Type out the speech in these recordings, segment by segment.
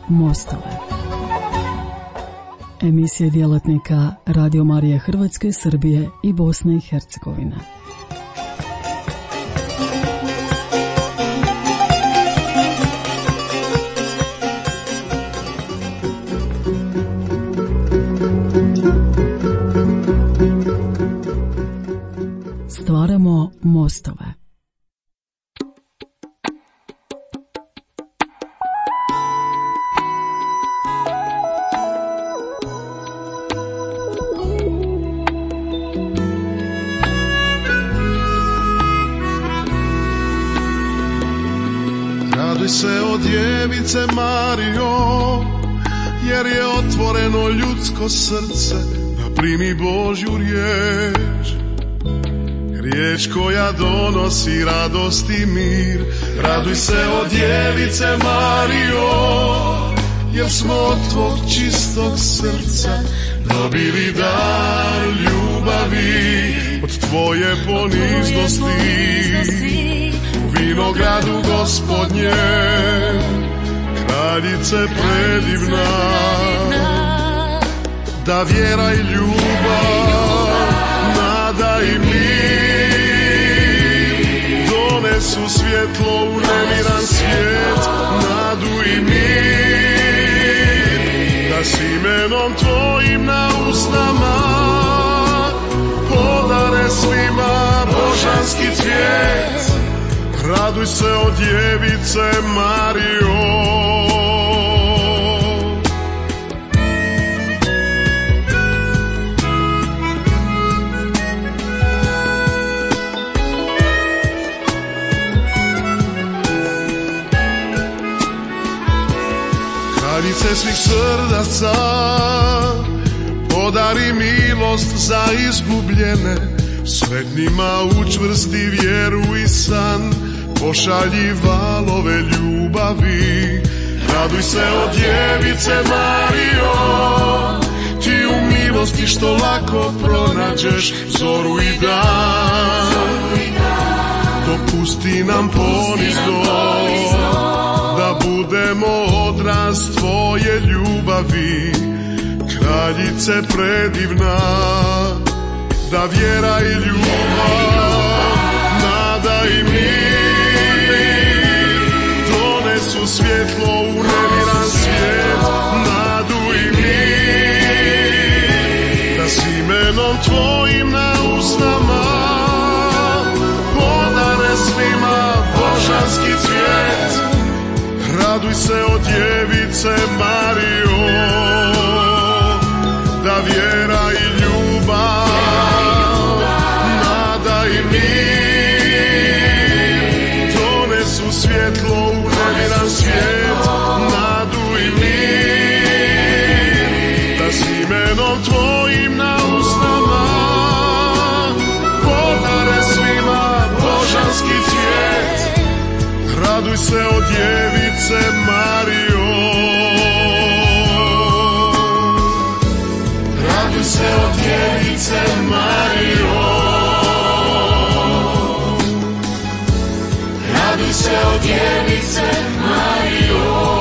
Mostove. Emisije djelatnika Radio Marije Hrvatske, Srbije i Bosne i Hercegovine. Stvaramo mostove. Raduj se o djevice Marijo, jer je otvoreno ljudsko srce da primi Božju riječ. Riječ koja donosi radost i mir. Raduj se o djevice Marijo, jer smo od tvog čistog srca dobili dar ljubavi. Od tvoje poniznosti u vinogradu Gospodnjem, kraljice predivna, da vjera i ljubav, nada i mir donesu svjetlo u nemiran svijet, nadu i mir, da s imenom tvojim na usnama podare svima božanski cvijet. Raduj se o djevice Marijo. Kraljice svih srdaca, podari milost za izgubljene, sretnima učvrsti vjeru i san, pošalji valove ljubavi. Raduj se o djevice Marijo, ti u milosti što lako pronađeš zoru i dan. Dopusti nam ponizno da budemo odraz tvoje ljubavi, kraljice predivna, da vjera i ljubav, nada i mir donesu svjetlo u nemiran svijet, nadu i mir, da s imenom tvojim na usnama podare svima božanski cvijet. Raduj se o djevice Marijo, da vjera i ljubav, nada i mir donesu svjetlo u nemiran svijet, nadu i mir, da s imenom tvojim na usnama podare svima božanski cvijet. Raduj se o djevice Marijo. Raduj se o djevice Marijo. Raduj se o djevice Marijo.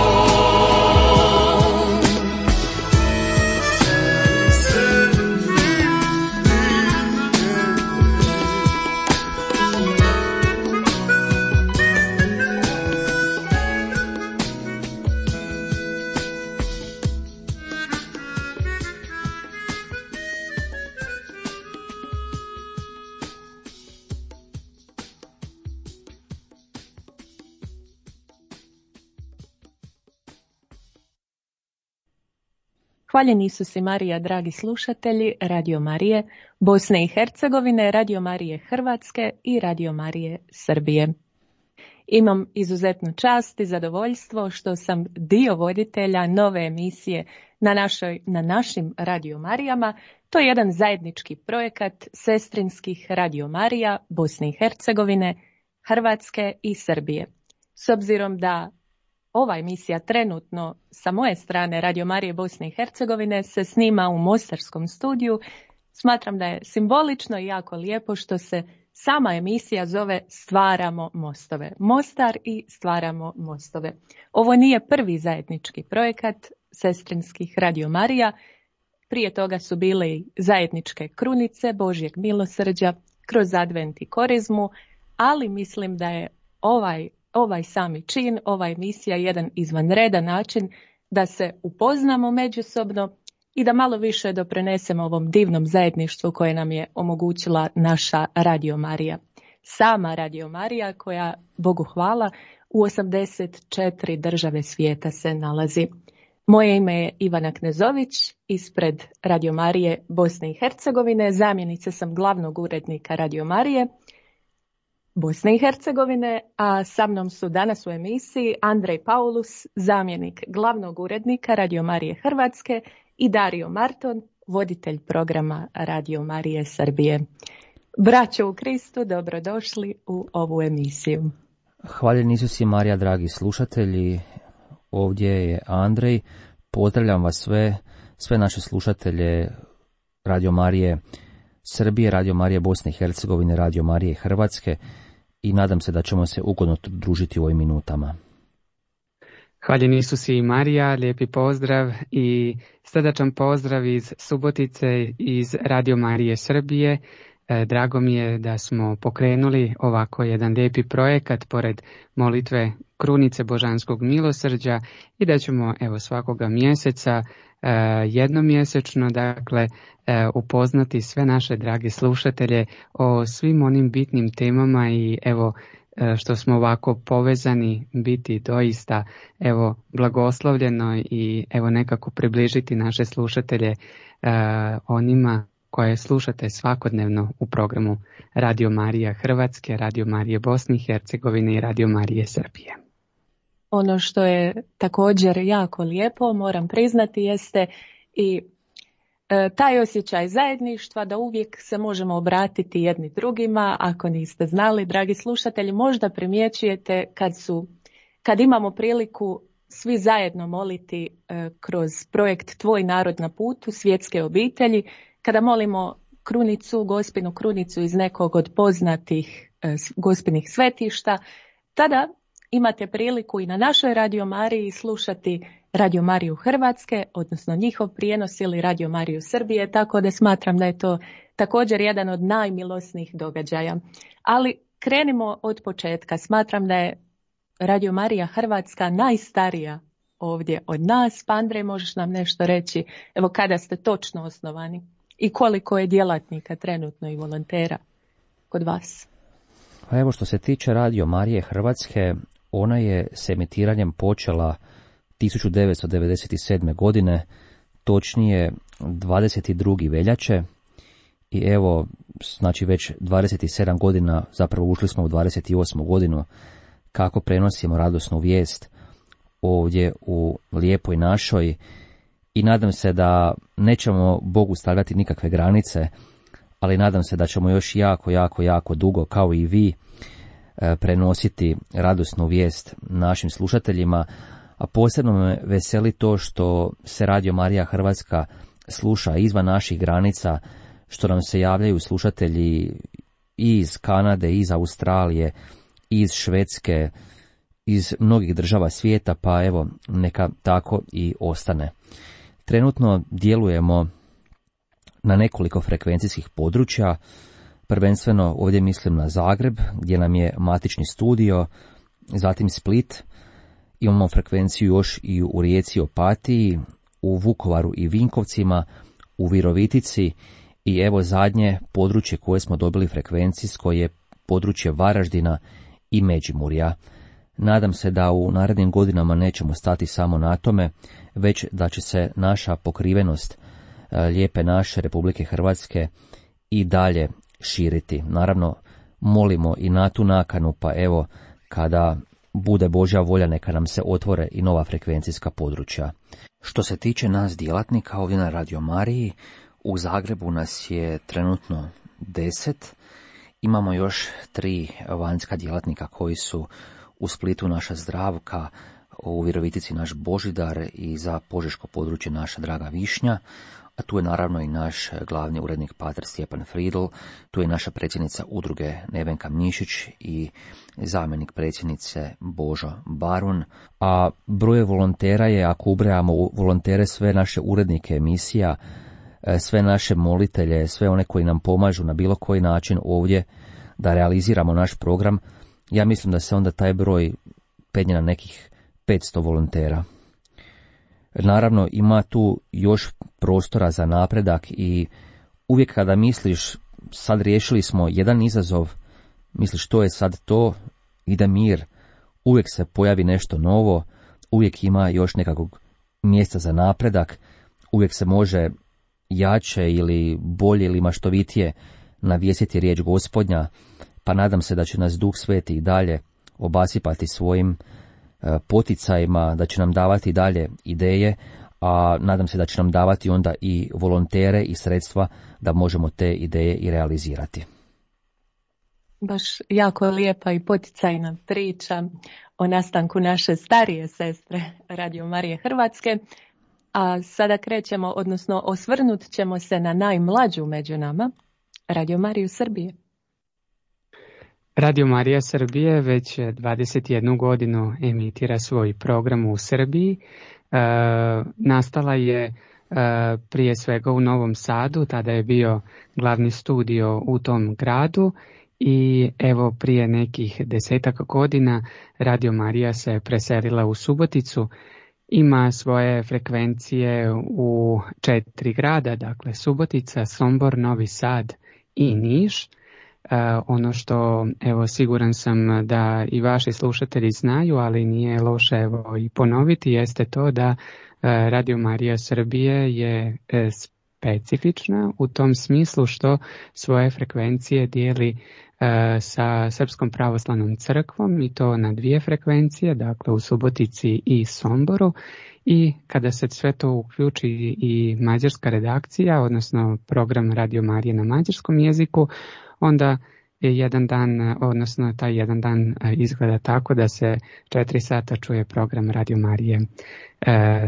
Hvaljeni Isus i Marija, dragi slušatelji Radio Marije Bosne i Hercegovine, Radio Marije Hrvatske i Radio Marije Srbije. Imam izuzetnu čast i zadovoljstvo što sam dio voditelja nove emisije na našim Radio Marijama. To je jedan zajednički projekat sestrinskih Radio Marija Bosne i Hercegovine, Hrvatske i Srbije. S obzirom da ova emisija trenutno sa moje strane Radio Marije Bosne i Hercegovine se snima u mostarskom studiju, smatram da je simbolično i jako lijepo što se sama emisija zove Stvaramo mostove. Mostar i Stvaramo mostove. Ovo nije prvi zajednički projekat sestrinskih Radio Marija. Prije toga su bile i zajedničke krunice Božjeg milosrđa kroz advent i korizmu, ali mislim da je ovaj sami čin, ova emisija jedan izvanredan način da se upoznamo međusobno i da malo više doprinesemo ovom divnom zajedništvu koje nam je omogućila naša Radio Marija. Sama Radio Marija koja, Bogu hvala, u 84 države svijeta se nalazi. Moje ime je Ivana Knezović, ispred Radio Marije Bosne i Hercegovine, zamjenica sam glavnog urednika Radio Marije Bosne i Hercegovine, a sa mnom su danas u emisiji Andrej Paulus, zamjenik glavnog urednika Radio Marije Hrvatske i Dario Marton, voditelj programa Radio Marije Srbije. Braćo u Kristu, dobrodošli u ovu emisiju. Hvaljen Isus i Marija, dragi slušatelji, ovdje je Andrej. Pozdravljam vas sve naše slušatelje Radio Marije Srbije, Radio Marije Bosne i Hercegovine, Radio Marije Hrvatske i nadam se da ćemo se ugodno družiti u ovim minutama. Hvaljen Isus i Marija, lijepi pozdrav i srdačan pozdrav iz Subotice, iz Radio Marije Srbije. Drago mi je da smo pokrenuli ovako jedan lijepi projekat pored molitve Krunice Božanskog milosrđa i da ćemo svakoga mjeseca jednomjesečno upoznati sve naše drage slušatelje o svim onim bitnim temama i što smo ovako povezani biti doista blagoslovljeno i nekako približiti naše slušatelje onima koje slušate svakodnevno u programu Radio Marija Hrvatske, Radio Marije Bosne i Hercegovine i Radio Marije Srbije. Ono što je također jako lijepo, moram priznati, jeste i taj osjećaj zajedništva da uvijek se možemo obratiti jedni drugima. Ako niste znali, dragi slušatelji, možda primjećujete kad imamo priliku svi zajedno moliti kroz projekt Tvoj narod na putu, svjetske obitelji, kada molimo Gospinu krunicu iz nekog od poznatih Gospinih svetišta, tada imate priliku i na našoj Radio Mariji slušati Radio Mariju Hrvatske, odnosno njihov prijenos ili Radio Mariju Srbije, tako da smatram da je to također jedan od najmilosnijih događaja. Ali krenimo od početka. Smatram da je Radio Marija Hrvatska najstarija ovdje od nas. Pa Andrej, možeš nam nešto reći, kada ste točno osnovani i koliko je djelatnika trenutno i volontera kod vas? Pa što se tiče Radio Marije Hrvatske, ona je s emitiranjem počela 1997. godine, točnije 22. veljače i već 27 godina, zapravo ušli smo u 28. godinu kako prenosimo radosnu vijest ovdje u lijepoj našoj i nadam se da nećemo Bogu stavljati nikakve granice, ali nadam se da ćemo još jako dugo, kao i vi, prenositi radosnu vijest našim slušateljima, a posebno me veseli to što se Radio Marija Hrvatska sluša izvan naših granica, što nam se javljaju slušatelji i iz Kanade, iz Australije, iz Švedske, iz mnogih država svijeta, pa neka tako i ostane. Trenutno djelujemo na nekoliko frekvencijskih područja, prvenstveno ovdje mislim na Zagreb, gdje nam je matični studio, zatim Split, imamo frekvenciju još i u Rijeci, Opatiji, u Vukovaru i Vinkovcima, u Virovitici i zadnje područje koje smo dobili frekvencijsko je područje Varaždina i Međimurja. Nadam se da u narednim godinama nećemo stati samo na tome, već da će se naša pokrivenost lijepe naše Republike Hrvatske i dalje širiti. Naravno, molimo i na tu nakanu, pa kada bude Božja volja, neka nam se otvore i nova frekvencijska područja. Što se tiče nas djelatnika ovdje na Radio Mariji, u Zagrebu nas je trenutno 10, imamo još 3 vanjska djelatnika koji su u Splitu naša Zdravka, u Virovitici naš Božidar i za požeško područje naša draga Višnja. a tu je naravno i naš glavni urednik pater Stjepan Fridl, tu je naša predsjednica udruge Nevenka Mišić i zamjenik predsjednice Božo Barun, a broj volontera je, ako ubrajamo volontere sve naše urednike emisija, sve naše molitelje, sve one koji nam pomažu na bilo koji način ovdje da realiziramo naš program, ja mislim da se onda taj broj penje na nekih 500 volontera. Naravno, ima tu još prostora za napredak i uvijek kada misliš, sad riješili smo jedan izazov, misliš što je sad to, ide mir, uvijek se pojavi nešto novo, uvijek ima još nekakvog mjesta za napredak, uvijek se može jače ili bolje ili maštovitije navjesiti riječ Gospodnja, pa nadam se da će nas Duh Sveti i dalje obasipati svojim poticajima, da će nam davati dalje ideje, a nadam se da će nam davati onda i volontere i sredstva da možemo te ideje i realizirati. Baš jako lijepa i poticajna priča o nastanku naše starije sestre Radio Marije Hrvatske, a sada krećemo, odnosno osvrnut ćemo se na najmlađu među nama, Radio Mariju Srbije. Radio Marija Srbije već 21 godinu emitira svoj program u Srbiji. Nastala je prije svega u Novom Sadu, tada je bio glavni studio u tom gradu i evo prije nekih 10 godina Radio Marija se preselila u Suboticu. Ima svoje frekvencije u 4 grada, dakle Subotica, Sombor, Novi Sad i Niš. Ono što, evo, siguran sam da i vaši slušatelji znaju, ali nije loše evo i ponoviti, jeste to da Radio Marija Srbije je specifična u tom smislu što svoje frekvencije dijeli sa Srpskom pravoslavnom crkvom i to na 2 frekvencije, dakle u Subotici i Somboru, i kada se sve to uključi i mađarska redakcija, odnosno program Radio Marije na mađarskom jeziku, onda je jedan dan, odnosno taj jedan dan izgleda tako da se 4 sata čuje program Radio Marije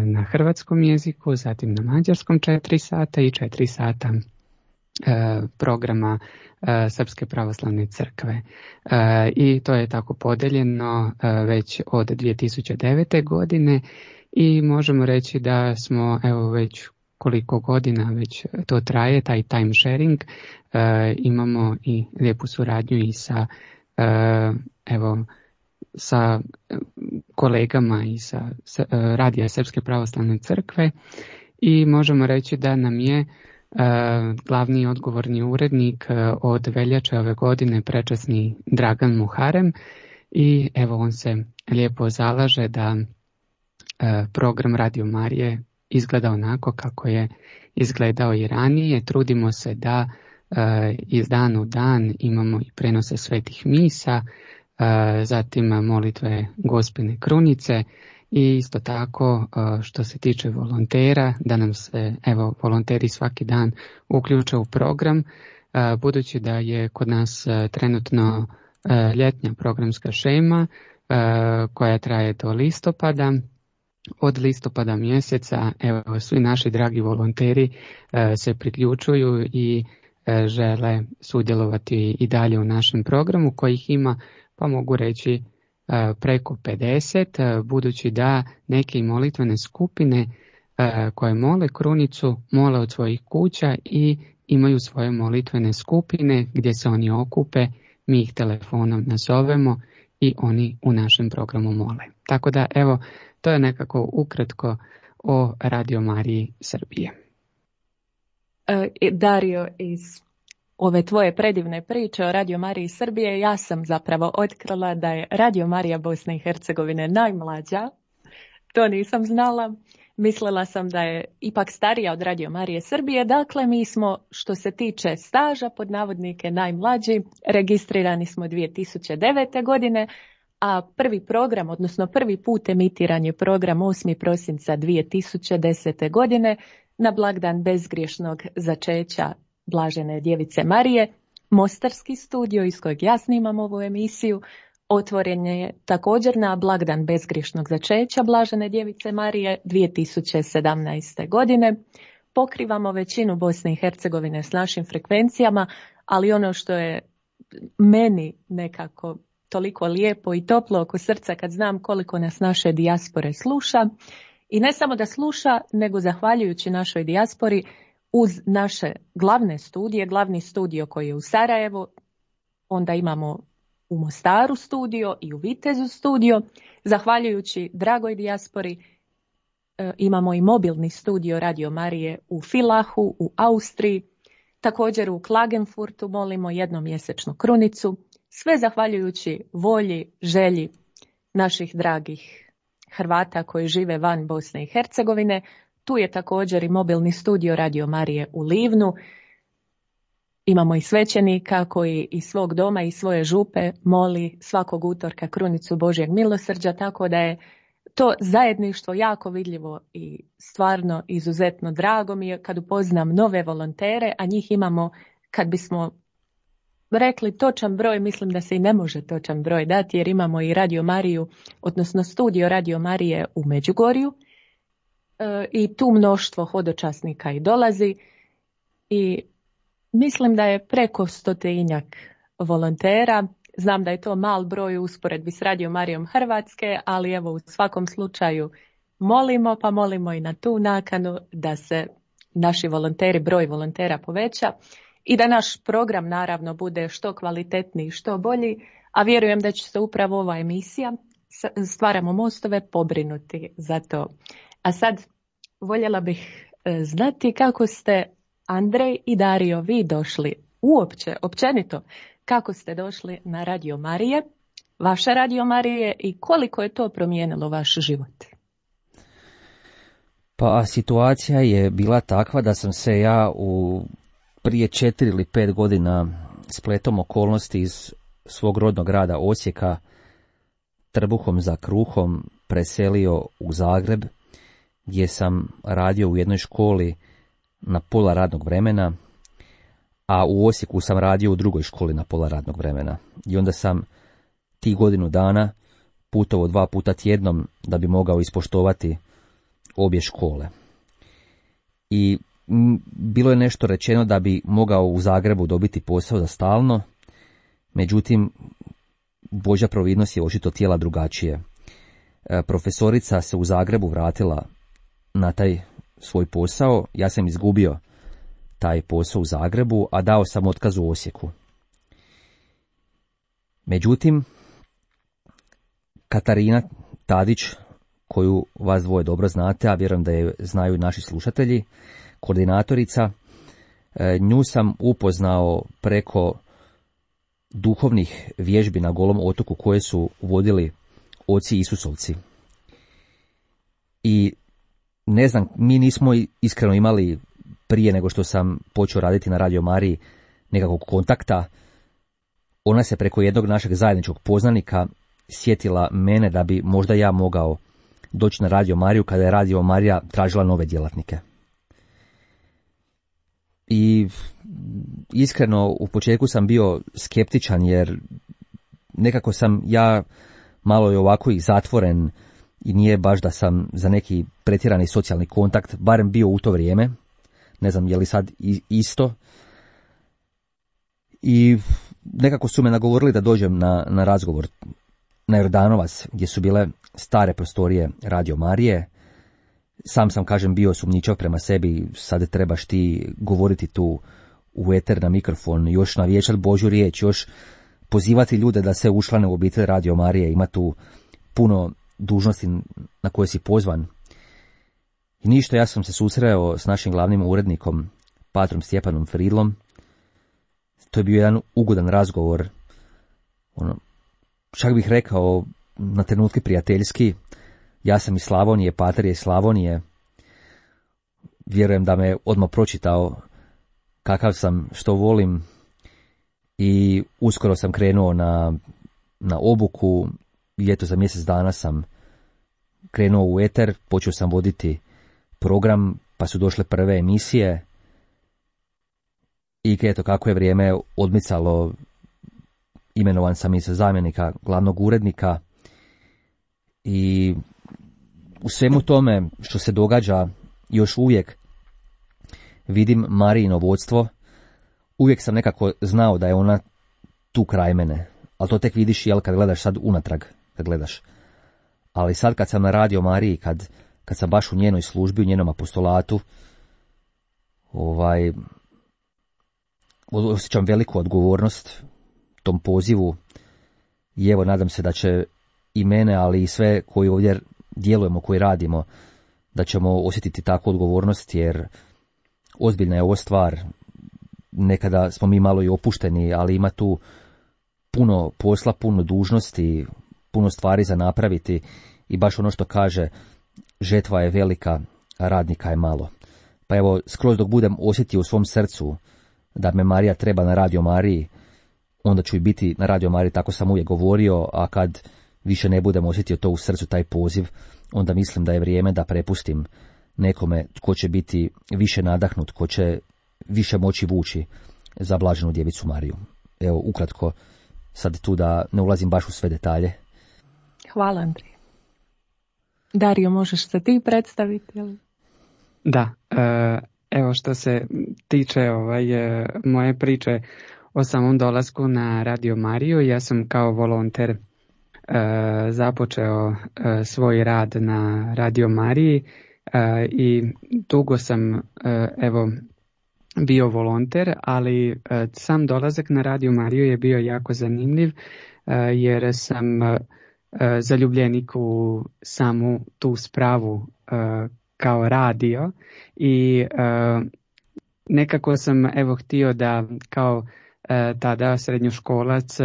na hrvatskom jeziku, zatim na mađarskom 4 sata i 4 sata programa Srpske pravoslavne crkve. I to je tako podeljeno već od 2009. godine i možemo reći da smo evo već koliko godina već to traje, taj time sharing, imamo i lijepu suradnju i sa sa kolegama i sa Radija Srpske pravoslavne crkve i možemo reći da nam je glavni odgovorni urednik od veljače ove godine prečasni Dragan Muharem i evo on se lijepo zalaže da program Radio Marije izgleda onako kako je izgledao i ranije. Trudimo se da iz dana u dan imamo i prenose svetih misa, zatim molitve Gospine krunice i isto tako što se tiče volontera, da nam se evo volonteri svaki dan uključe u program, budući da je kod nas trenutno ljetnja programska šema koja traje do listopada. Od listopada mjeseca evo svi naši dragi volonteri se priključuju i žele sudjelovati i dalje u našem programu kojih ima, pa mogu reći, preko 50, budući da neke molitvene skupine koje mole krunicu mole od svojih kuća i imaju svoje molitvene skupine gdje se oni okupe, mi ih telefonom nazovemo i oni u našem programu mole. Tako da evo, to je nekako ukratko o Radio Mariji Srbije. Dario, iz ove tvoje predivne priče o Radio Mariji Srbije, ja sam zapravo otkrila da je Radio Marija Bosne i Hercegovine najmlađa. To nisam znala. Mislila sam da je ipak starija od Radio Marije Srbije. Dakle, mi smo, što se tiče staža, pod navodnike najmlađi, registrirani smo 2009. godine, a prvi program, odnosno prvi put emitiran je program 8. prosinca 2010. godine na blagdan bezgriješnog začeća Blažene Djevice Marije. Mostarski studio iz kojeg ja snimam ovu emisiju otvoren je također na blagdan bezgriješnog začeća Blažene Djevice Marije 2017. godine. pokrivamo većinu Bosne i Hercegovine s našim frekvencijama, ali ono što je meni nekako toliko lijepo i toplo oko srca kad znam koliko nas naše dijaspore sluša, i ne samo da sluša, nego zahvaljujući našoj dijaspori uz naše glavne studije, glavni studio koji je u Sarajevu, onda imamo u Mostaru studio i u Vitezu studio. Zahvaljujući dragoj dijaspori imamo i mobilni studio Radio Marije u Villachu, u Austriji, također u Klagenfurtu molimo jednomjesečnu krunicu, sve zahvaljujući volji, želji naših dragih Hrvata koji žive van Bosne i Hercegovine. Tu je također i mobilni studio Radio Marije u Livnu. Imamo i svećenika koji iz svog doma i svoje župe moli svakog utorka krunicu Božjeg milosrđa, tako da je to zajedništvo jako vidljivo i stvarno izuzetno drago mi je kad upoznam nove volontere, a njih imamo, kad bismo rekli točan broj, mislim da se i ne može točan broj dati, jer imamo i Radio Mariju, odnosno studio Radio Marije u Međugorju, i tu mnoštvo hodočasnika i dolazi, i mislim da je preko 100-tinjak volontera. Znam da je to mal broj u usporedbi s Radio Marijom Hrvatske, ali evo u svakom slučaju molimo i na tu nakanu da se naši volonteri, broj volontera poveća i da naš program naravno bude što kvalitetniji, što bolji, a vjerujem da će se upravo ova emisija Stvaramo mostove pobrinuti za to. A sad voljela bih znati kako ste, Andrej i Dario, vi došli uopće, općenito, kako ste došli na Radio Marije, vaša Radio Marije, i koliko je to promijenilo vaš život? Pa situacija je bila takva da sam se ja prije 4 ili 5 godina spletom okolnosti iz svog rodnog grada Osijeka trbuhom za kruhom preselio u Zagreb, gdje sam radio u jednoj školi na pola radnog vremena, a u Osijeku sam radio u drugoj školi na pola radnog vremena. I onda sam tih godinu dana putovao 2 puta tjednom da bi mogao ispoštovati obje škole. I bilo je nešto rečeno da bi mogao u Zagrebu dobiti posao za stalno, međutim, Božja providnost je očito htjela drugačije. Profesorica se u Zagrebu vratila na taj svoj posao, ja sam izgubio taj posao u Zagrebu, a dao sam otkaz u Osijeku. Međutim, Katarina Tadić, koju vas dvoje dobro znate, a vjerujem da je znaju i naši slušatelji, koordinatorica, nju sam upoznao preko duhovnih vježbi na Golom otoku koje su vodili oci Isusovci. I ne znam, mi nismo iskreno imali prije nego što sam počeo raditi na Radio Mariji nekakvog kontakta. Ona se preko jednog našeg zajedničkog poznanika sjetila mene da bi možda ja mogao doći na Radio Mariju kada je Radio Marija tražila nove djelatnike. I iskreno u početku sam bio skeptičan, jer nekako sam ja malo je ovako i zatvoren i nije baš da sam za neki pretjerani socijalni kontakt, barem bio u to vrijeme. Ne znam je li sad isto. I nekako su me nagovorili da dođem na razgovor na Jordanovac, gdje su bile stare prostorije Radio Marije. Sam kažem, bio sumnjičav prema sebi, sad trebaš ti govoriti tu u eter na mikrofon, još navječati Božju riječ, još pozivati ljude da se učlane u obitelj Radio Marije, ima tu puno dužnosti na koje si pozvan. I ništa, ja sam se susreo s našim glavnim urednikom, patrom Stjepanom Fridlom. To je bio jedan ugodan razgovor, čak bih rekao na trenutke prijateljski. Ja sam iz Slavonije, pater je iz Slavonije. Vjerujem da me odmah pročitao kakav sam, što volim, i uskoro sam krenuo na obuku i eto za mjesec dana sam krenuo u eter, počeo sam voditi program, pa su došle prve emisije i eto kako je vrijeme odmicalo, imenovan sam i za zamjenika glavnog urednika. I u svemu tome što se događa još uvijek, vidim Marijino vodstvo, uvijek sam nekako znao da je ona tu kraj mene, ali to tek vidiš kad gledaš sad unatrag, kad gledaš. Ali sad kad sam na Radio Mariji, kad sam baš u njenoj službi, u njenom apostolatu, osjećam veliku odgovornost tom pozivu i evo nadam se da će i mene, ali i sve koji ovdje djelujemo, koji radimo, da ćemo osjetiti takvu odgovornost, jer ozbiljna je ovo stvar. Nekada smo mi malo i opušteni, ali ima tu puno posla, puno dužnosti, puno stvari za napraviti i baš ono što kaže, žetva je velika, a radnika je malo. Pa evo, skroz dok budem osjetio u svom srcu da me Marija treba na Radio Mariji, onda ću i biti na Radio Mariji, tako sam uvijek govorio, a kad više ne budem osjetio to u srcu, taj poziv, onda mislim da je vrijeme da prepustim nekome tko će biti više nadahnut, tko će više moći vući za blaženu djevicu Mariju. Evo, ukratko, sad tu da ne ulazim baš u sve detalje. Hvala, Andrija. Dario, možeš se ti predstaviti? Ili? Da, evo što se tiče moje priče o samom dolasku na Radio Mariju, ja sam kao volonter započeo svoj rad na Radio Mariji i dugo sam bio volonter, ali sam dolazak na Radio Mariju je bio jako zanimljiv jer sam zaljubljenik u samu tu spravu kao radio i nekako sam htio da kao tada srednjoškolac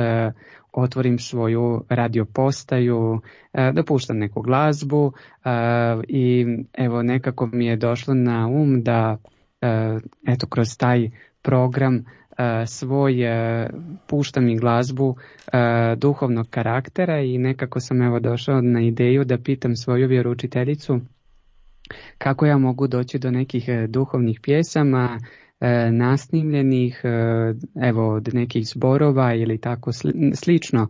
otvorim svoju radio postaju, da puštam neku glazbu i nekako mi je došlo na da kroz taj program svoj puštam i glazbu duhovnog karaktera i nekako sam došao na ideju da pitam svoju vjeroučiteljicu kako ja mogu doći do nekih duhovnih pjesama nasnimljenih, od nekih zborova ili tako slično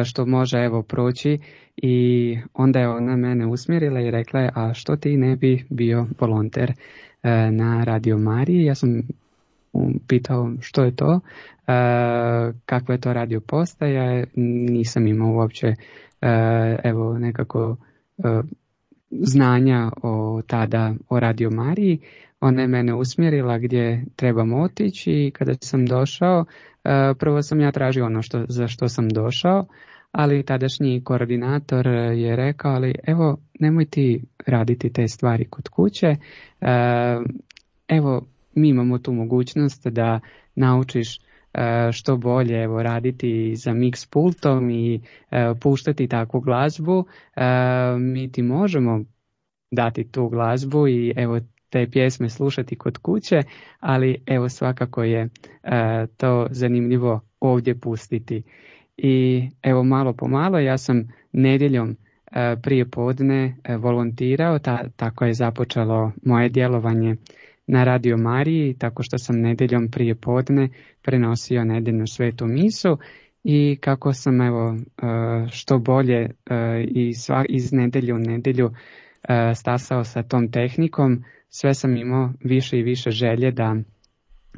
što može proći i onda je ona mene usmjerila i rekla je, a što ti ne bi bio volonter na Radio Mariji? Ja sam pitao što je to, kakva je to radio postaja, nisam imao uopće nekako znanja o Radio Mariji. Ona je mene usmjerila gdje trebam otići i kada sam došao, prvo sam ja tražio ono za što sam došao, ali tadašnji koordinator je rekao, ali nemoj ti raditi te stvari kod kuće, mi imamo tu mogućnost da naučiš što bolje raditi za mix pultom i puštati takvu glazbu, mi ti možemo dati tu glazbu i te pjesme slušati kod kuće, ali svakako je to zanimljivo ovdje pustiti. I malo po malo ja sam nedjeljom prije podne volontirao, tako je započelo moje djelovanje na Radio Mariji, tako što sam nedjeljom prije podne prenosio nedjeljnu svetu misu i kako sam što bolje iz nedjelju u nedjelju stasao sa tom tehnikom, sve sam imao više i više želje da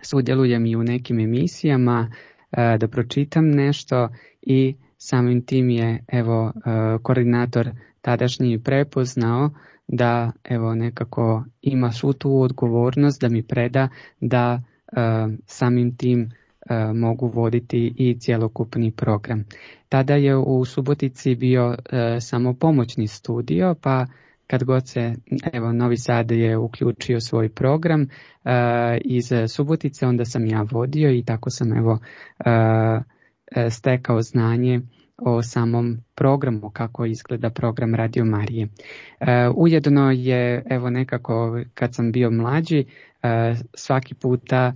sudjelujem i u nekim emisijama, da pročitam nešto i samim tim je koordinator tadašnji prepoznao da nekako ima svu tu odgovornost da mi preda da samim tim mogu voditi i cjelokupni program. Tada je u Subotici bio samo pomoćni studio, pa kad god se Novi Sad je uključio svoj program iz Subotice, onda sam ja vodio i tako sam stekao znanje o samom programu, kako izgleda program Radio Marije. Ujedno je nekako kad sam bio mlađi, svaki puta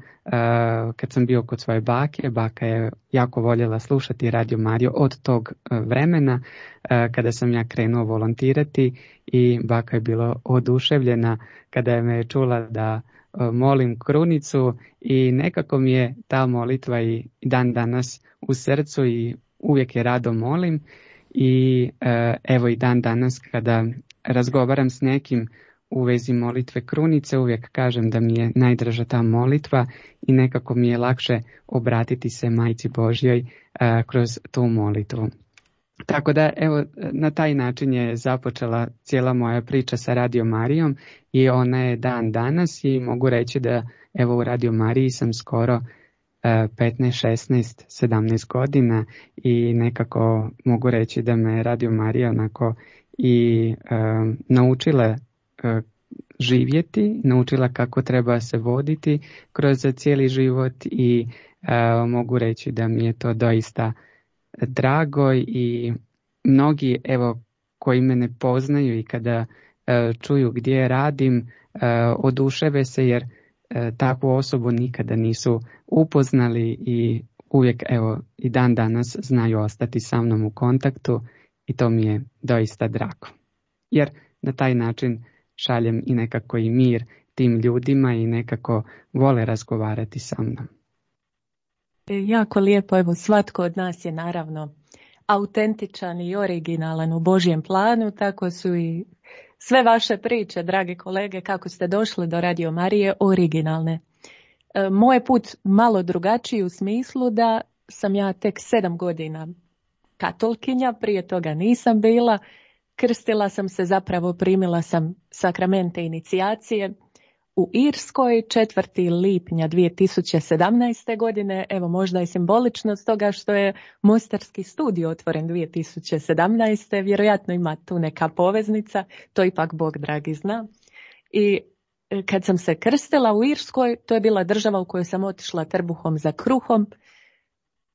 kad sam bio kod svoje baka je jako voljela slušati Radio Mariju od tog vremena kada sam ja krenuo volontirati i baka je bila oduševljena kada je me čula da molim krunicu i nekako mi je ta molitva i dan danas u srcu i uvijek je rado molim i i dan danas kada razgovaram s nekim u vezi molitve krunice, uvijek kažem da mi je najdraža ta molitva i nekako mi je lakše obratiti se Majci Božjoj kroz tu molitvu. Tako da, evo, na taj način je započela cijela moja priča sa Radio Marijom i ona je dan danas i mogu reći da evo u Radio Mariji sam skoro 15, 16, 17 godina i nekako mogu reći da me Radio Marija onako i naučila živjeti, naučila kako treba se voditi kroz cijeli život i mogu reći da mi je to doista drago i mnogi evo koji me ne poznaju i kada čuju gdje radim oduševe se jer takvu osobu nikada nisu upoznali i uvijek evo i dan danas znaju ostati sa mnom u kontaktu i to mi je doista drago. Jer na taj način šaljem i nekako i mir tim ljudima i nekako vole razgovarati sa mnom. Jako lijepo, evo svatko od nas je naravno autentičan i originalan u Božjem planu, tako su i sve vaše priče, drage kolege, kako ste došli do Radio Marije, originalne. Moj put malo drugačiji u smislu da sam ja tek 7 godina katolkinja, prije toga nisam bila, krstila sam se, zapravo primila sam sakramente inicijacije u Irskoj 4. lipnja 2017. godine, evo možda je simbolično stoga što je Mostarski studio otvoren 2017. Vjerojatno ima tu neka poveznica, to ipak Bog dragi zna. I kad sam se krstila u Irskoj, to je bila država u kojoj sam otišla trbuhom za kruhom,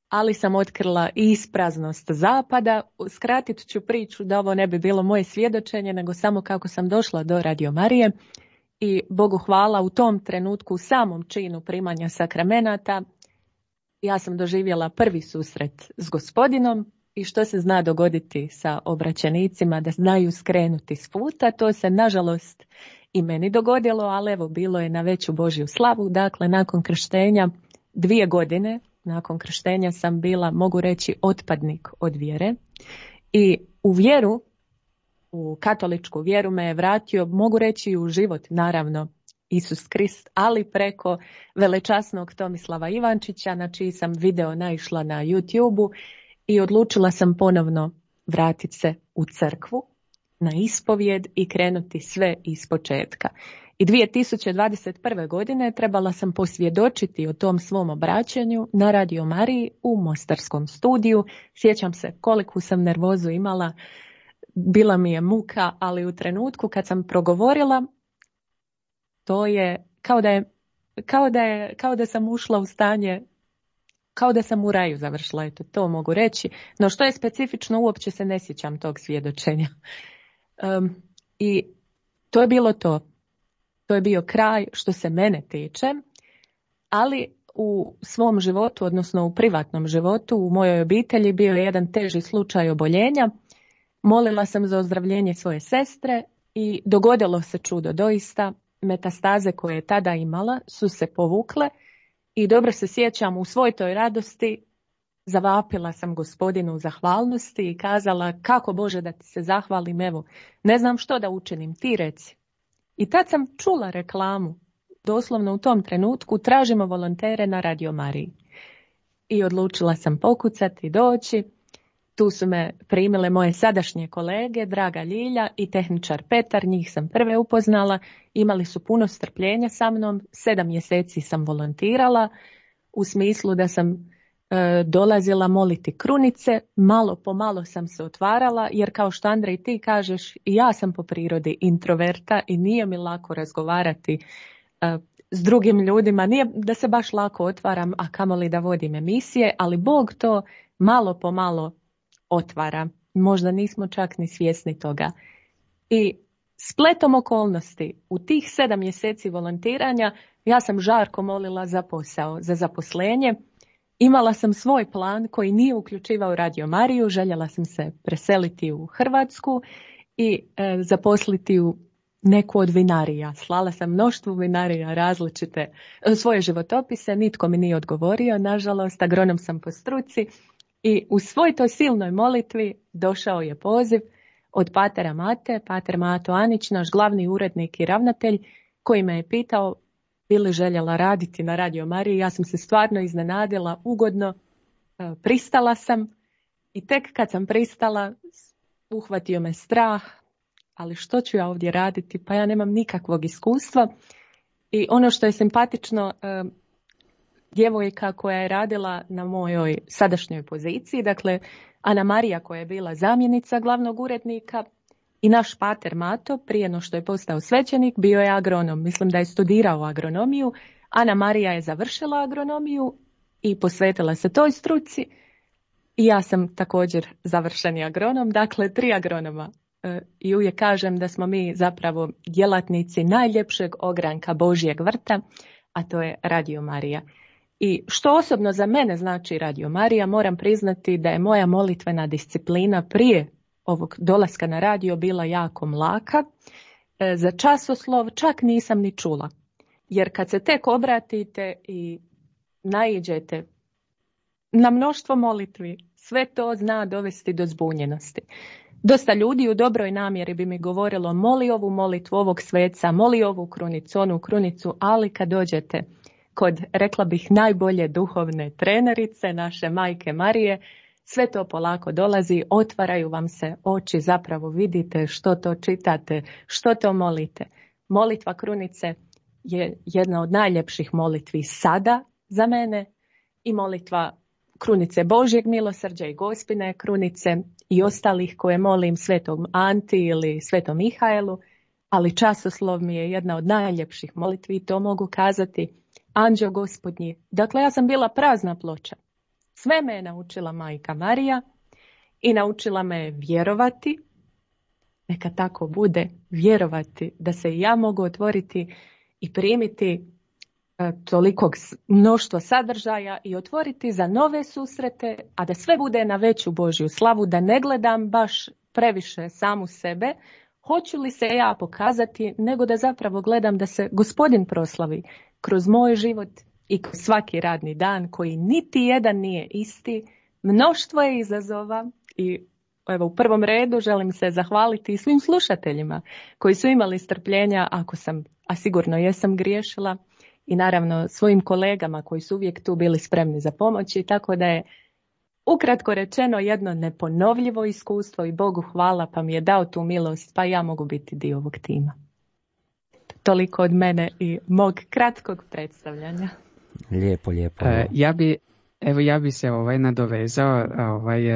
ali sam otkrila i ispraznost zapada. Skratit ću priču da ovo ne bi bilo moje svjedočenje, nego samo kako sam došla do Radio Marije. I Bogu hvala, u tom trenutku, u samom činu primanja sakramenata, ja sam doživjela prvi susret s Gospodinom i što se zna dogoditi sa obraćenicima, da znaju skrenuti s puta. To se nažalost i meni dogodilo, ali evo bilo je na veću Božju slavu. Dakle, nakon krštenja, 2 godine nakon krštenja sam bila, mogu reći, otpadnik od vjere i u vjeru, u katoličku vjeru me je vratio, mogu reći, u život, naravno, Isus Krist, ali preko velečasnog Tomislava Ivančića, na čiji sam video naišla na YouTube-u i odlučila sam ponovno vratiti se u crkvu, na ispovijed i krenuti sve iz početka. I 2021. godine trebala sam posvjedočiti o tom svom obraćanju na Radio Mariji u Mostarskom studiju. Sjećam se koliku sam nervozu imala, bila mi je muka, ali u trenutku kad sam progovorila, to je kao da sam ušla u stanje, kao da sam u raju završila, eto, to mogu reći. No što je specifično, uopće se ne sjećam tog svjedočenja. I to je bilo to. To je bio kraj što se mene tiče, ali u svom životu, odnosno u privatnom životu, u mojoj obitelji bio je jedan teži slučaj oboljenja. Molila sam za ozdravljenje svoje sestre i dogodilo se čudo doista. Metastaze koje je tada imala su se povukle i dobro se sjećam, u svoj toj radosti zavapila sam Gospodinu u zahvalnosti i kazala: kako Bože da ti se zahvalim, evo, ne znam što da učinim, ti reci. I tad sam čula reklamu, doslovno u tom trenutku, tražimo volontere na Radio Mariji. I odlučila sam pokucati i doći. Tu su me primile moje sadašnje kolege, draga Ljilja i tehničar Petar, njih sam prve upoznala. Imali su puno strpljenja sa mnom, 7 mjeseci sam volontirala, u smislu da sam dolazila moliti krunice, malo po malo sam se otvarala, jer kao što Andrej ti kažeš, ja sam po prirodi introverta i nije mi lako razgovarati s drugim ljudima, nije da se baš lako otvaram, a kamoli da vodim emisije, ali Bog to malo po malo otvara. Možda nismo čak ni svjesni toga. I spletom okolnosti, u tih 7 mjeseci volontiranja, ja sam žarko molila za posao, za zaposlenje. Imala sam svoj plan koji nije uključivao Radio Mariju, željela sam se preseliti u Hrvatsku i zaposliti u neku od vinarija. Slala sam mnoštvu vinarija različite svoje životopise, nitko mi nije odgovorio, nažalost, agronom sam po struci i u svoj toj silnoj molitvi došao je poziv od patera Mate, pater Mato Anić, naš glavni urednik i ravnatelj, koji me je pitao bi li željela raditi na Radio Mariji. Ja sam se stvarno iznenadila, ugodno, pristala sam i tek kad sam pristala uhvatio me strah, ali što ću ja ovdje raditi, pa ja nemam nikakvog iskustva. I ono što je simpatično, djevojka koja je radila na mojoj sadašnjoj poziciji, dakle Ana Marija koja je bila zamjenica glavnog urednika i naš pater Mato, prije no što je postao svećenik, bio je agronom. Mislim da je studirao agronomiju. Ana Marija je završila agronomiju i posvetila se toj struci. I ja sam također završeni agronom, dakle 3 agronoma. I uvijek kažem da smo mi zapravo djelatnici najljepšeg ogranka Božjeg vrta, a to je Radio Marija. I što osobno za mene znači Radio Marija, moram priznati da je moja molitvena disciplina prije ovog dolaska na radio bila jako mlaka. Za časoslov čak nisam ni čula. Jer kad se tek obratite i naiđete na mnoštvo molitvi, sve to zna dovesti do zbunjenosti. Dosta ljudi u dobroj namjeri bi mi govorilo moli ovu molitvu ovog sveca, moli ovu krunicu, onu krunicu, ali kad dođete kod, rekla bih, najbolje duhovne trenerice, naše majke Marije, sve to polako dolazi, otvaraju vam se oči, zapravo vidite što to čitate, što to molite. Molitva krunice je jedna od najljepših molitvi sada za mene i molitva krunice Božjeg milosrđa i Gospine krunice i ostalih koje molim Svetom Anti ili Svetom Mihaelu, ali časoslov mi je jedna od najljepših molitvi i to mogu kazati Anđeo Gospodnji. Dakle, ja sam bila prazna ploča. Sve me je naučila majka Marija i naučila me vjerovati, neka tako bude, vjerovati da se i ja mogu otvoriti i primiti tolikog mnoštva sadržaja i otvoriti za nove susrete, a da sve bude na veću Božju slavu, da ne gledam baš previše samu sebe, hoću li se ja pokazati, nego da zapravo gledam da se Gospodin proslavi kroz moj život i kroz svaki radni dan koji niti jedan nije isti. Mnoštvo je izazova i evo u prvom redu želim se zahvaliti svim slušateljima koji su imali strpljenja ako sam, a sigurno jesam, griješila, i naravno svojim kolegama koji su uvijek tu bili spremni za pomoć, i tako da je ukratko rečeno jedno neponovljivo iskustvo i Bogu hvala pa mi je dao tu milost pa ja mogu biti dio ovog tima. Toliko od mene i mog kratkog predstavljanja. Lijepo, lijepo. Ja bi se nadovezao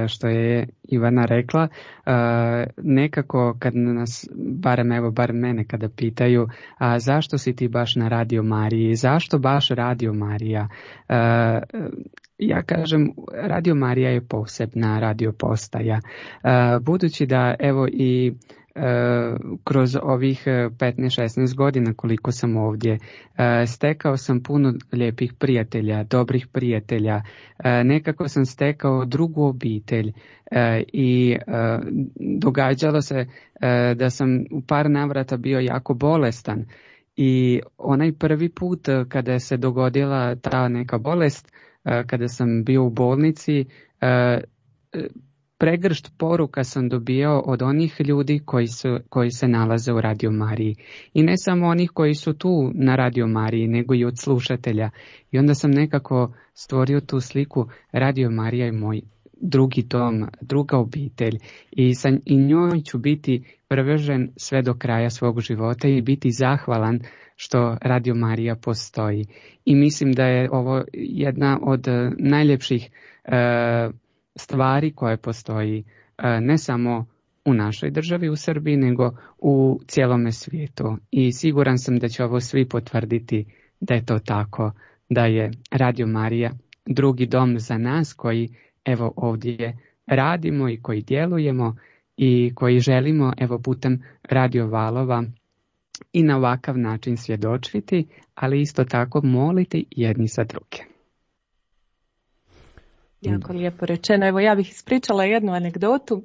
što je Ivana rekla. Nekako kad nas, barem mene kada pitaju a zašto si ti baš na Radio Mariji, zašto baš Radio Marija, ja kažem Radio Marija je posebna radio postaja. Budući da evo i kroz ovih 15-16 godina koliko sam ovdje, stekao sam puno lijepih prijatelja, dobrih prijatelja, nekako sam stekao drugu obitelj i događalo se da sam u par navrata bio jako bolestan i onaj prvi put kada se dogodila ta neka bolest, kada sam bio u bolnici, pregršt poruka sam dobio od onih ljudi koji se nalaze u Radio Mariji. I ne samo onih koji su tu na Radio Mariji, nego i od slušatelja. I onda sam nekako stvorio tu sliku, Radio Marija je moj drugi dom, druga obitelj. I njoj ću biti privržen sve do kraja svog života i biti zahvalan što Radio Marija postoji. I mislim da je ovo jedna od najljepših stvari koje postoji ne samo u našoj državi, u Srbiji, nego u cijelome svijetu. I siguran sam da će ovo svi potvrditi da je to tako, da je Radio Marija drugi dom za nas koji evo ovdje radimo i koji djelujemo i koji želimo evo putem radio valova i na ovakav način svjedočiti, ali isto tako moliti jedni za druge. Jako lijepo rečeno. Evo ja bih ispričala jednu anegdotu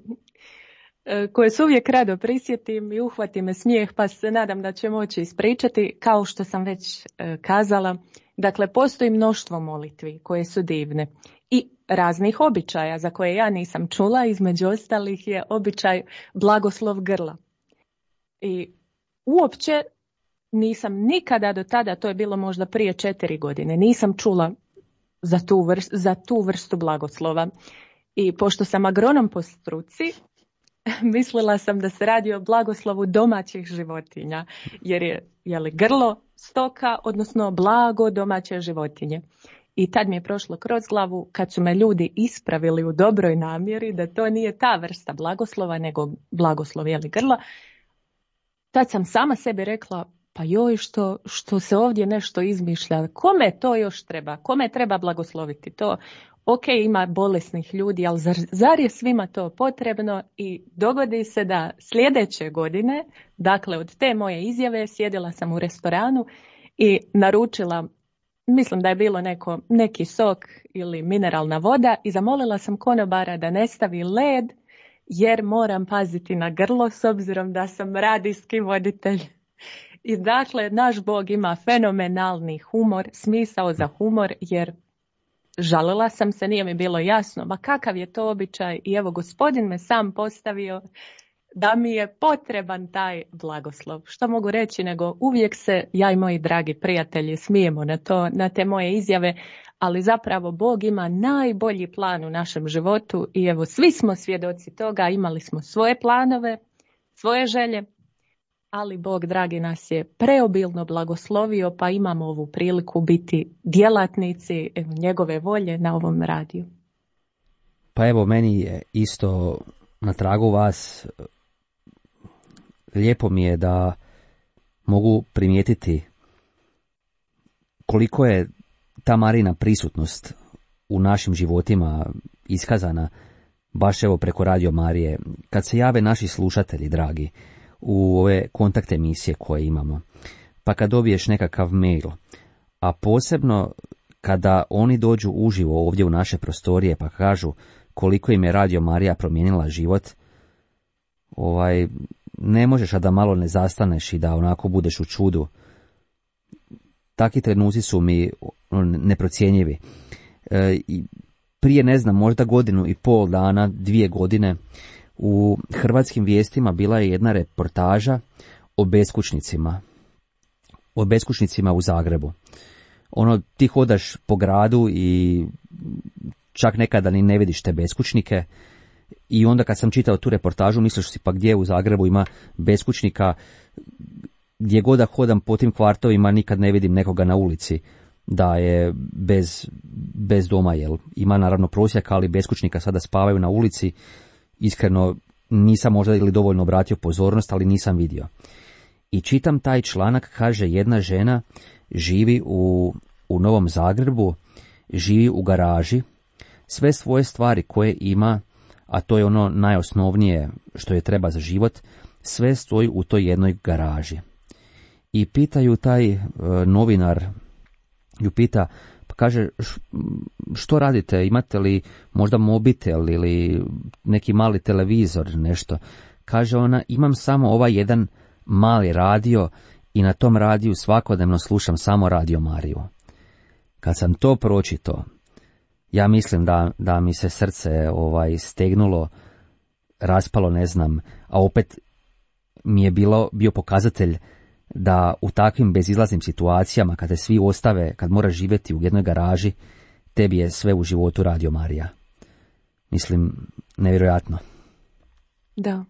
koju se uvijek rado prisjetim i uhvati me smijeh, pa se nadam da će moći ispričati. Kao što sam već kazala, Dakle, postoji mnoštvo molitvi koje su divne i raznih običaja za koje ja nisam čula, između ostalih je običaj blagoslov grla. I uopće nisam nikada do tada, to je bilo možda prije 4 godine, nisam čula za tu vrstu blagoslova. I pošto sam agronom po struci, mislila sam da se radi o blagoslovu domaćih životinja, jer je li grlo stoka, odnosno blago domaće životinje. I tad mi je prošlo kroz glavu, kad su me ljudi ispravili u dobroj namjeri, da to nije ta vrsta blagoslova, nego blagoslov grla, tad sam sama sebi rekla, pa joj, što se ovdje nešto izmišlja, kome to još treba, kome treba blagosloviti to? Ok, ima bolesnih ljudi, ali zar je svima to potrebno? I dogodi se da sljedeće godine, dakle od te moje izjave, sjedila sam u restoranu i naručila, mislim da je bilo neki sok ili mineralna voda, i zamolila sam konobara da ne stavi led, jer moram paziti na grlo s obzirom da sam radijski voditelj. I dakle, naš Bog ima fenomenalni humor, smisao za humor, jer žalila sam se, nije mi bilo jasno, ma kakav je to običaj, i evo Gospodin me sam postavio da mi je potreban taj blagoslov. Što mogu reći, nego uvijek se ja i moji dragi prijatelji smijemo na te moje izjave, ali zapravo Bog ima najbolji plan u našem životu i evo svi smo svjedoci toga, imali smo svoje planove, svoje želje, ali Bog dragi nas je preobilno blagoslovio, pa imamo ovu priliku biti djelatnici njegove volje na ovom radiju. Pa evo, meni je isto na tragu vas, lijepo mi je da mogu primijetiti koliko je ta Marina prisutnost u našim životima iskazana baš evo preko Radio Marije. Kad se jave naši slušatelji dragi u ove kontakt emisije koje imamo, pa kad dobiješ nekakav mail, a posebno kada oni dođu uživo ovdje u naše prostorije pa kažu koliko im je Radio Marija promijenila život, ne možeš a da malo ne zastaneš i da onako budeš u čudu. Takvi trenuci su mi neprocjenjivi. Prije, ne znam, možda 1,5 dana, 2 godine, u Hrvatskim vijestima bila je jedna reportaža o beskućnicima u Zagrebu. Ti hodaš po gradu i čak nekada ni ne vidiš te beskućnike, i onda kad sam čitao tu reportažu misliš si, pa gdje u Zagrebu ima beskućnika, gdje god da hodam po tim kvartovima nikad ne vidim nekoga na ulici da je bez doma, jel ima naravno prosjaka, ali beskućnika sada spavaju na ulici. Iskreno nisam možda ili dovoljno obratio pozornost, ali nisam vidio. I čitam taj članak, kaže jedna žena živi u Novom Zagrebu, živi u garaži, sve svoje stvari koje ima, a to je ono najosnovnije što je treba za život, sve stoji u toj jednoj garaži. I pitaju taj novinar, ju pita, pa kaže, što radite, imate li možda mobitel ili neki mali televizor, nešto? Kaže ona, imam samo ovaj jedan mali radio i na tom radiju svakodnevno slušam samo Radio Mariju. Kad sam to pročitao, ja mislim da mi se srce stegnulo, raspalo, ne znam, a opet mi je bio pokazatelj da u takvim bezizlaznim situacijama, kada svi ostave, kad moraš živjeti u jednoj garaži, tebi je sve u životu Radio Marija. Mislim, nevjerojatno. Da,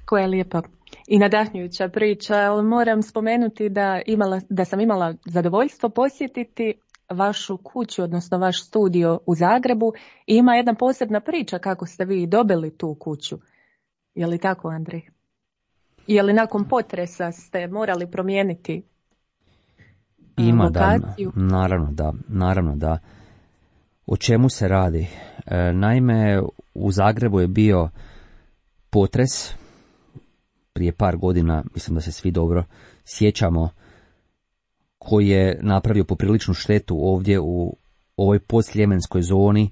koja je lijepa i nadahnjujuća priča, ali moram spomenuti da sam imala zadovoljstvo posjetiti vašu kuću, odnosno vaš studio u Zagrebu, i ima jedna posebna priča kako ste vi dobili tu kuću. Je li tako, Andrej? Je li nakon potresa ste morali promijeniti lokaciju? Naravno da. O čemu se radi? Naime, u Zagrebu je bio potres prije par godina, mislim da se svi dobro sjećamo, koji je napravio popriličnu štetu ovdje u ovoj postsljemenskoj zoni,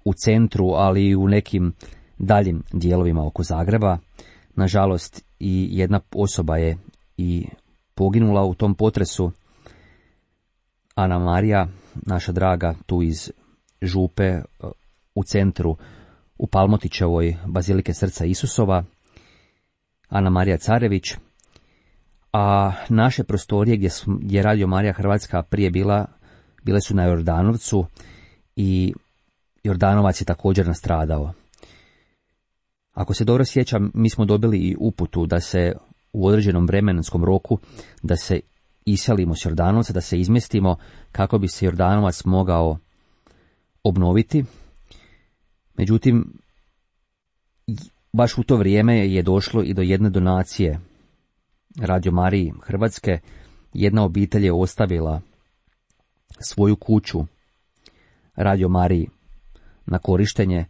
u centru, ali i u nekim daljim dijelovima oko Zagreba. Nažalost, i jedna osoba je i poginula u tom potresu, Ana Marija, naša draga, tu iz Župe u centru u Palmotićevoj Bazilike Srca Isusova, Ana Marija Carević, a naše prostorije gdje je Radio Marija Hrvatska prije bile su na Jordanovcu i Jordanovac je također nastradao. Ako se dobro sjećam, mi smo dobili i uputu da se u određenom vremenskom roku da se iselimo s Jordanovca, da se izmjestimo kako bi se Jordanovac mogao obnoviti. Međutim, baš u to vrijeme je došlo i do jedne donacije Radio Mariji Hrvatske. Jedna obitelj je ostavila svoju kuću Radio Mariji na korištenje,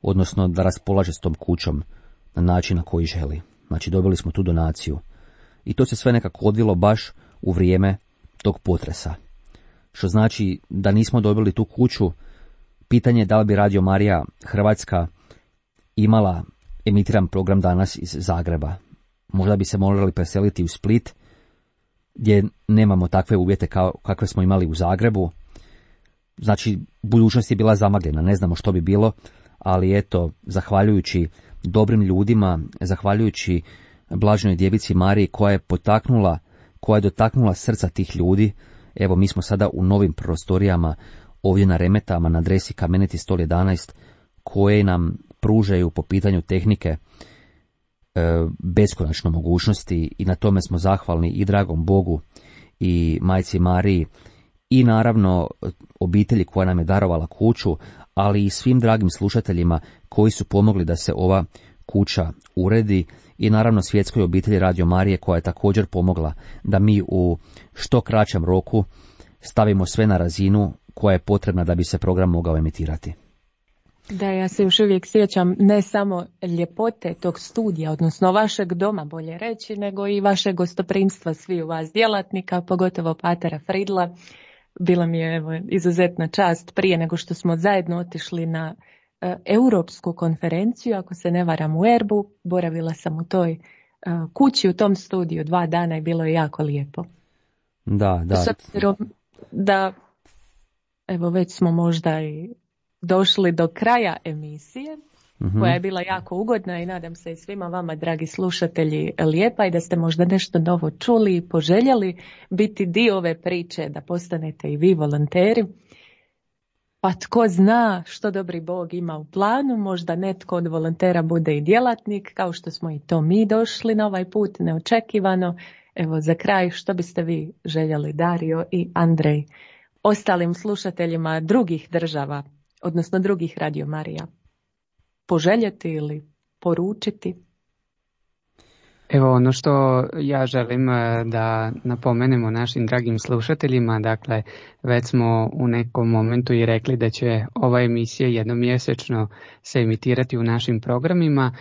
odnosno da raspolaže s tom kućom na način na koji želi. Znači, dobili smo tu donaciju. I to se sve nekako odvilo baš u vrijeme tog potresa. Što znači da nismo dobili tu kuću, pitanje je da li bi Radio Marija Hrvatska imala emitiran program danas iz Zagreba. Možda bi se morali preseliti u Split, gdje nemamo takve uvjete kakve smo imali u Zagrebu. Znači, budućnost je bila zamagljena, ne znamo što bi bilo, ali eto, zahvaljujući dobrim ljudima, zahvaljujući Blaženoj Djevici Mariji koja je dotaknula srca tih ljudi, evo mi smo sada u novim prostorijama ovdje na Remetama, na adresi Kameniti stol 11, koje nam pružaju po pitanju tehnike beskonačno mogućnosti i na tome smo zahvalni i dragom Bogu i Majci Mariji i naravno obitelji koja nam je darovala kuću, ali i svim dragim slušateljima koji su pomogli da se ova kuća uredi i naravno svjetskoj obitelji Radio Marije koja je također pomogla da mi u što kraćem roku stavimo sve na razinu koja je potrebna da bi se program mogao emitirati. Da, ja se još uvijek sjećam ne samo ljepote tog studija, odnosno vašeg doma bolje reći, nego i vašeg gostoprimstva sviju vas djelatnika, pogotovo patera Fridla. Bila mi je izuzetna čast prije nego što smo zajedno otišli na europsku konferenciju, ako se ne varam u Erbu. Boravila sam u toj kući, u tom studiju 2 dana i bilo je jako lijepo. Da. S obzirom da, evo već smo možda i došli do kraja emisije, koja je bila jako ugodna i nadam se i svima vama, dragi slušatelji, lijepa i da ste možda nešto novo čuli i poželjeli biti dio ove priče, da postanete i vi volonteri. Pa tko zna što dobri Bog ima u planu, možda netko od volontera bude i djelatnik, kao što smo i to mi došli na ovaj put, neočekivano. Evo za kraj, što biste vi željeli, Dario i Andrej, ostalim slušateljima drugih država, odnosno drugih Radio Marija, poželjeti ili poručiti? Evo ono što ja želim da napomenemo našim dragim slušateljima, dakle već smo u nekom momentu i rekli da će ova emisija jednomjesečno se emitirati u našim programima,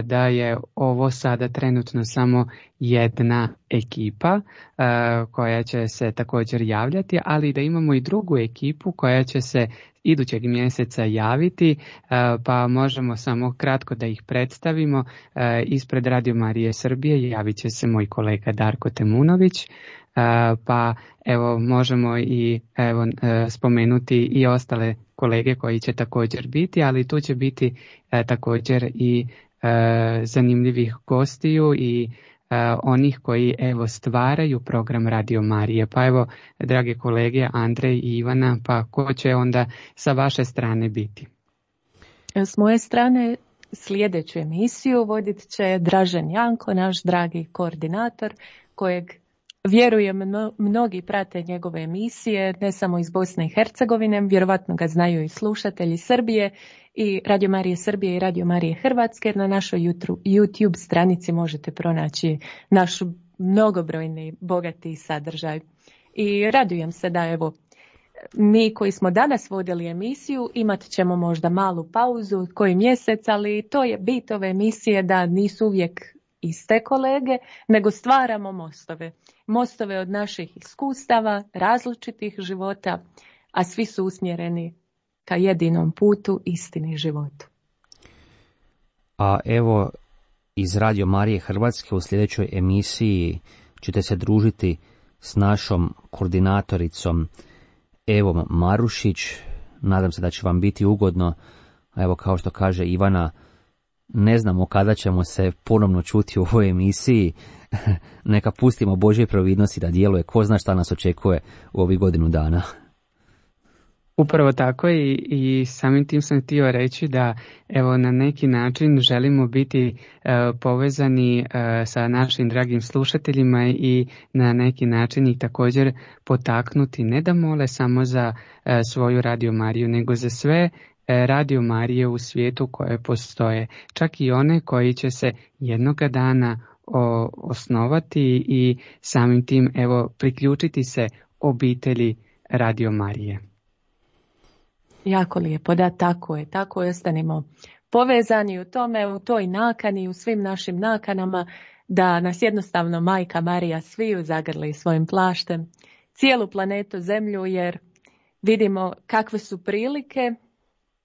da je ovo sada trenutno samo jedna ekipa koja će se također javljati, ali da imamo i drugu ekipu koja će se idućeg mjeseca javiti, pa možemo samo kratko da ih predstavimo. Ispred Radio Marije Srbije javit će se moj kolega Darko Temunović, pa evo možemo i spomenuti i ostale kolege koji će također biti, ali tu će biti također i zanimljivih gostiju i onih koji stvaraju program Radio Marije. Pa evo, drage kolege Andrej i Ivana, pa ko će onda sa vaše strane biti? S moje strane sljedeću emisiju vodit će Dražen Janko, naš dragi koordinator, kojeg vjerujem mnogi prate njegove emisije, ne samo iz Bosne i Hercegovine, vjerovatno ga znaju i slušatelji Srbije i Radio Marije Srbije i Radio Marije Hrvatske, jer na našoj YouTube stranici možete pronaći naš mnogobrojni, bogati sadržaj. I radujem se da evo, mi koji smo danas vodili emisiju imat ćemo možda malu pauzu, koji mjesec, ali to je bit ove emisije da nisu uvijek iste kolege, nego stvaramo mostove. Mostove od naših iskustava, različitih života, a svi su usmjereni ka jedinom putu, istini, životu. A evo, iz Radio Marije Hrvatske u sljedećoj emisiji ćete se družiti s našom koordinatoricom Evom Marušić. Nadam se da će vam biti ugodno. Evo, kao što kaže Ivana, ne znamo kada ćemo se ponovno čuti u ovoj emisiji. Neka pustimo Božje providnosti da djeluje. Ko zna šta nas očekuje u ovih godinu dana. Upravo tako i samim tim sam htio reći da evo na neki način želimo biti povezani sa našim dragim slušateljima i na neki način ih također potaknuti ne da mole samo za svoju Radio Mariju, nego za sve Radio Marije u svijetu koje postoje, čak i one koji će se jednoga dana osnovati i samim tim evo priključiti se obitelji Radio Marije. Jako lijepo, da, tako je, ostanimo povezani u tome, u toj nakani, u svim našim nakanama, da nas jednostavno Majka Marija sviju zagrli svojim plaštem, cijelu planetu Zemlju, jer vidimo kakve su prilike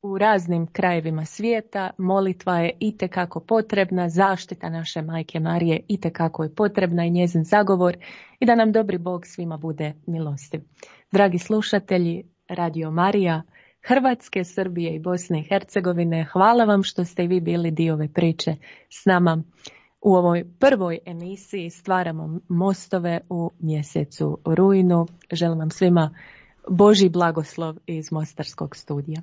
u raznim krajevima svijeta. Molitva je itekako potrebna, zaštita naše Majke Marije itekako je potrebna i njezin zagovor, i da nam dobri Bog svima bude milostiv. Dragi slušatelji Radio Marija Hrvatske, Srbije i Bosne i Hercegovine, hvala vam što ste i vi bili dio ove priče s nama. U ovoj prvoj emisiji Stvaramo mostove u mjesecu rujnu. Želim vam svima Božji blagoslov iz Mostarskog studija.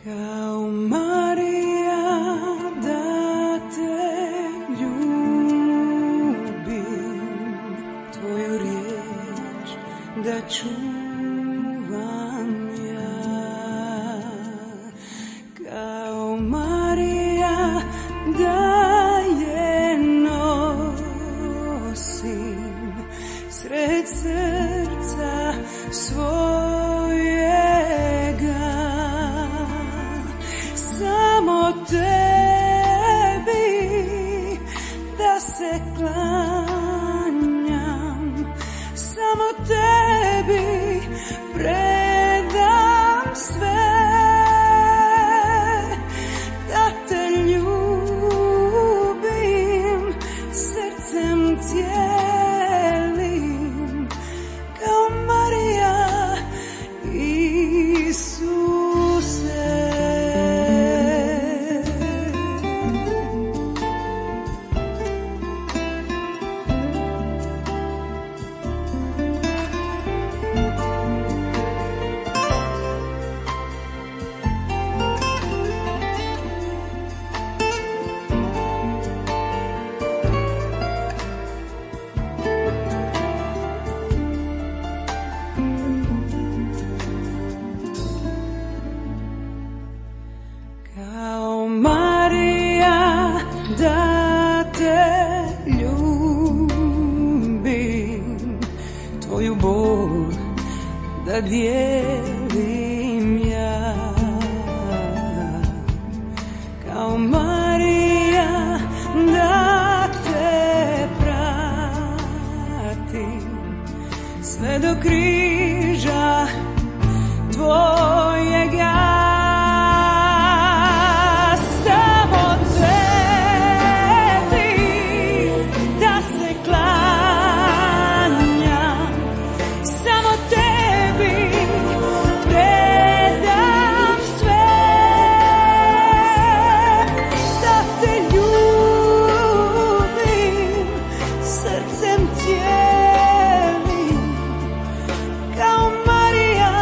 Kao Marija da te ljubim, tvoju riječ da čuvam ja. Kao Marija da je nosim sred srca svojega. Samo tebi da se klanjam, samo tebi predam sve, da te ljubim srcem cijelim, kao Marija Isuse. Da dijelim ja, kao Marija da te pratim sve do križa tvojega. Samo tebi da se klanjam, samo tebi predam sve, da te ljubim srcem cijelim, kao Marija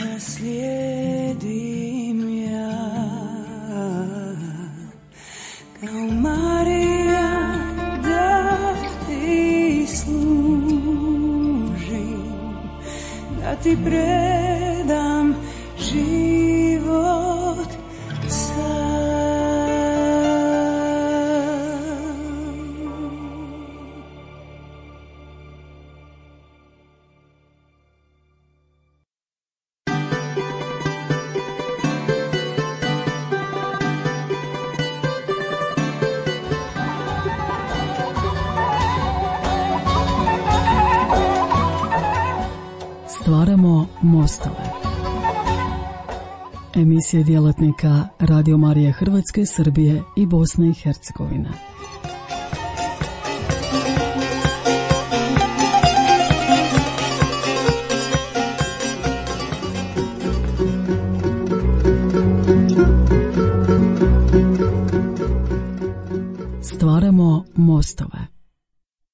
naslijedim ja kao Marija da ti služim, da ti predam život sam. Stvaramo mostove. Emisije djelatnika Radio Marije Hrvatske, Srbije i Bosne i Hercegovine. Stvaramo mostove.